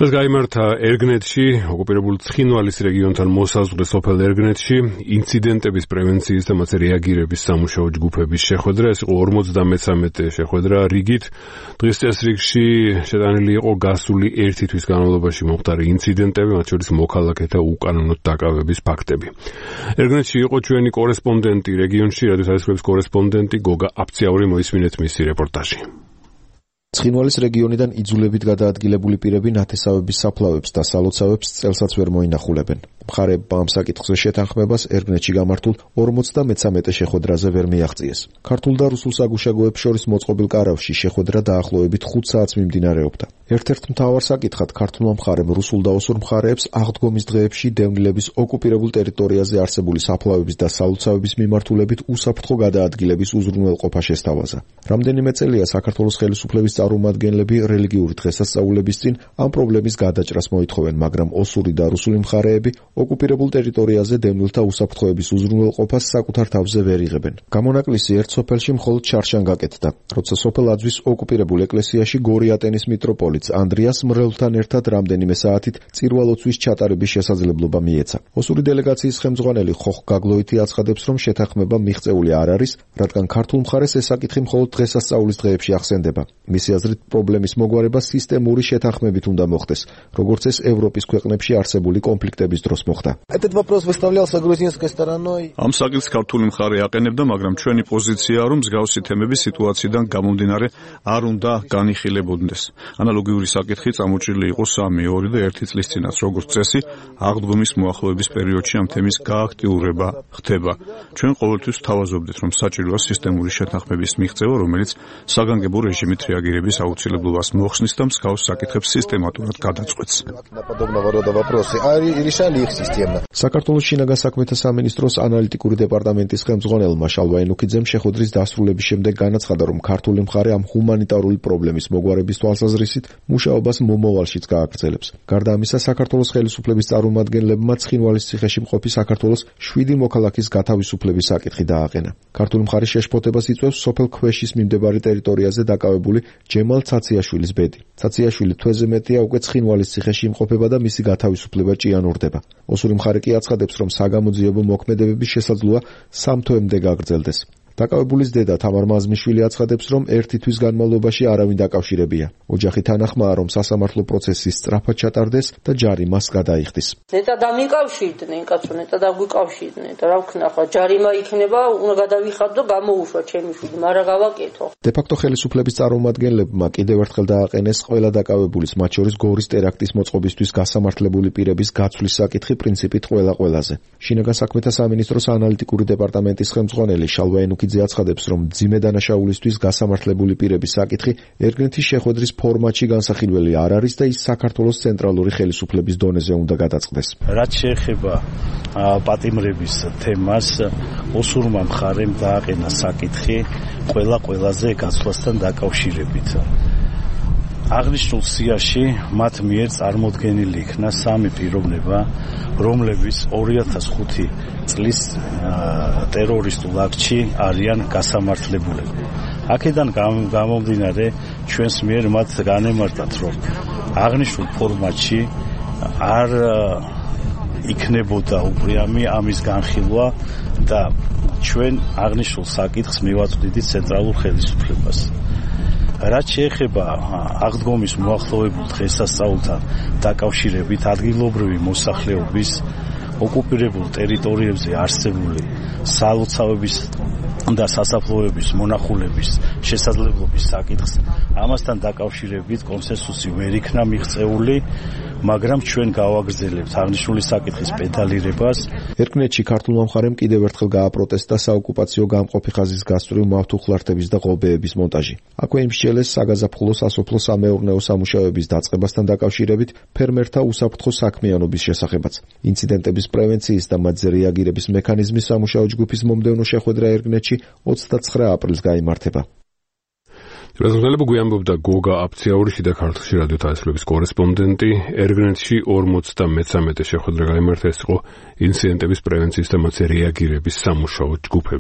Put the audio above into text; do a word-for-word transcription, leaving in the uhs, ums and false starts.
დღეს გაიმართა ერგნეთში, ოკუპირებულ ცხინვალის რეგიონთან მოსაზღვრე სოფელ ერგნეთში ინციდენტების პრევენციის და მათზე რეაგირების სამუშაო ჯგუფების შეხვედრა. ეს იყო ორმოცდამეცამეტე შეხვედრა რიგით. დღის წესრიგში შეტანილი იყო გასული ერთი თვის განმავლობაში მომხდარი ინციდენტები, მათ შორის მოქალაქეთა უკანონოდ დაკავების ფაქტები. ერგნეთში იყო ჩვენი კორესპონდენტი რეგიონში, რადიო საისრების კორესპონდენტი გოგა აფციაური, მოისმინეთ მისი რეპორტაჟი. ცხინვალის რეგიონიდან იძულებით გადაადგილებული პირები ნათესავების საფლავებს და სალოცავებს წელსაც ვერ მოინახულებენ. მხარეებმა ამ საკითხზე შეთანხმებას ერგნეთში გამართულ ორმოცდამეცამეტე შეხვედრაზე ვერ მიაღწიეს. ქართულ და რუსულ საგუშაგოებს შორის მოწყობილ კარავში შეხვედრა დაახლოებით ხუთ საათს მიმდინარეობდა. ერთ-ერთ მთავარ საკითხად ქართულმა მხარემ რუსულ და ოსურ მხარეებს აღდგომის დღეებში დევნილების ოკუპირებულ ტერიტორიაზე არსებული საფლავების და სალოცავების მიმართულებით უსაფრთხო გადაადგილების უზრუნველყოფა შესთავაზა. რამდენიმე წელია საქართველოს ხელისუფლების წარმომადგენლები რელიგიური დღესასწაულების წინ ამ პრობლემის გადაჭრას მოითხოვენ, მაგრამ ოსური და რუსული მხარეები ოკუპირებულ ტერიტორიაზე დევნილთა უსაფრთხოების უზრუნველყოფას საკუთარ თავზე ვერ იღებენ. გამონაკლისი ერთ სოფელში მხოლოდ ჩარშან გაკეთდა, როცა სოფელ აძვის ოკუპირებულ ეკლესიაში გორიატენის მიტროპოლიტს ანდრიას მრევლთან ერთად რამდენიმე საათით წირვალოცვის ჩატარების შესაძლებლობა მიეცა. ოსური დელეგაციის ხელმძღვანელი ხოხ გაგლოითი აცხადებს, რომ შეთანხმება მიღწეული არ არის, რადგან ქართულ მხარეს ეს საკითხი მხოლოდ დღესასწაულის დღეებში ახსენდება. მისი აზრით პრობლემის მოგვარება სისტემური შეთანხმებით უნდა მოხდეს, როგორც ეს ევროპის ქვეყნებში არსებული კონფლიქტების დროს მოხდა. ამ საკითხს ქართული მხარე აყენებდა, მაგრამ ჩვენი პოზიციაა, რომ მსგავსი თემები სიტუაციიდან გამომდინარე არ უნდა განიხილებოდნენ. ანალოგიური საკითხი წამოჭრილი იყო სამი, ორი და ერთი წლის წინაც, როგორც წესი, აღდგომის მოახლოების პერიოდში ამ თემის გააქტიურება ხდება. ჩვენ ყოველთვის ვთავაზობდით, რომ საჭიროა სისტემური შეთანხმების მიღწევა, რომელიც საგანგებო რეჟიმით რეაგირების აუცილებლობას მოხსნის და მსგავს საკითხებს სისტემატურად გადაწყვეტს. საქართველოს შინაგან საქმეთა სამინისტროს ანალიტიკური დეპარტამენტის ხელმძღვანელმა შალვა ენუქიძემ შეხვედრის დასრულების შემდეგ განაცხადა, რომ ქართული მხარე ამ ჰუმანიტარული პრობლემის მოგვარების თვალსაზრისით მუშაობას მომავალშიც გააგრძელებს. გარდა ამისა, საქართველოს ხელისუფლების წარმომადგენლებმა ცხინვალის ციხეში მყოფი საქართველოს შვიდი მოქალაქის გათავისუფლების საკითხი დააყენა. ქართული მხარე შეშფოთებას იწვევს სოფელ ქვეშის მიმდებარე ტერიტორიაზე დაკავებული ჯემალ ცაციაშვილის ბედი. ცაციაშვილი თვეზე მეტია უკვე ცხინვალის ციხეში იმყოფება და მისი გათავისუფლება ჭიანურდება. ოსური მხარე კი აცხადებს, რომ საგამოძიებო მოქმედებების შესაძლოა სამ თვემდე გაგრძელდეს. დაკავებულის დედა თამარ მაზმიშვილი აცხადებს, რომ ერთი თვის განმავლობაში არავინ დაკავშირებია. ოჯახი თანახმაა, რომ სასამართლო პროცესი სწრაფად ჩატარდეს და ჯარი მას გადაიხდის. ნეტა დამიკავშირდნენ, კაცო, ნეტა დაგვიკავშირდნენ და რა ვქნა, ხო, ჯარიმა იქნება, უნდა გადავიხადო და გამოუშვა ჩემი შვილი, მაგრამ გავაკეთო. დე-ფაქტო ხელისუფლების წარმომადგენლებმა კიდევ ერთხელ დააყენეს ყველა დაკავებულის, მათ შორის გორის ტერაქტის მოწყობისთვის გასამართლებული პირების გაცვლის საკითხი პრინციპით ყველა ყველაზე. შინაგან საქმეთა სამინისტროს ანალიტიკური დეპარტამენტის ხელმძღვანელი შალვა ენუქიძე აცხადებს, რომ მძიმე დანაშაულისთვის გასამართლებული პირების საკითხი ერგნეთის შეხვედრის ფორმატში განსახილველი არ არის და ის საქართველოს ცენტრალური ხელისუფლების დონეზე უნდა გადაწყდეს. რაც შეეხება პატიმრების თემას, ოსურმა მხარემ დააყენა საკითხი ყველა ყველაზე გაცვლასთან დაკავშირებით. აღნიშნულ სიაში მათ მიერ წარმოდგენილი იქნა სამი პიროვნება, რომლებიც ორი ათას ხუთი წლის ტერორისტულ აქტში არიან გასამართლებულები. აქედან გამომდინარე ჩვენს მიერ მათ განემარტათ, რომ აღნიშნულ ფორმატში არ იქნებოდა უპრიამი ამის განხილვა და ჩვენ აღნიშნულ საკითხს მივაწვდით ცენტრალურ ხელისუფლებას. რაც შეეხება აღდგომის მოახლოებულ დღესასწაულთან დაკავშირებით ადგილობრივი მოსახლეობის ოკუპირებულ ტერიტორიებზე არსებული სალოცავების და სასაფლაოების მონახულების შესაძლებლობის საკითხს, ამასთან დაკავშირებით კონსენსუსი ვერ იქნა მიღწეული, მაგრამ ჩვენ გავაგრძელებთ აღნიშნული საკითხის პედალირებას. ერგნეთში ქართულმა მხარემ კიდევ ერთხელ გააპროტესტა საოკუპაციო გამყოფი ხაზის გასწვრივ მავთუხლართების და ღობეების მონტაჟი. აქვე იმსჯელეს საგაზაფხულო სასოფლო-სამეურნეო სამუშაოების დაწყებასთან დაკავშირებით ფერმერთა უსაფრთხო საქმიანობის შესახებაც. ინციდენტების პრევენციის და მათზე რეაგირების მექანიზმის სამუშაო ჯგუფის მომდევნო შეხვედრა ერგნეთში ოცდაცხრა აპრილს გაიმართება. რეზულტატები გვიამბობდა გოგა აფციაური, შიდა ქართლში რადიო საისრების კორესპონდენტი. ერგნეთში ორმოცდამეცამეტე შეხვედრა გაიმართა, ეს იყო ინციდენტების პრევენციის და მათზე რეაგირების სამუშაო ჯგუფები.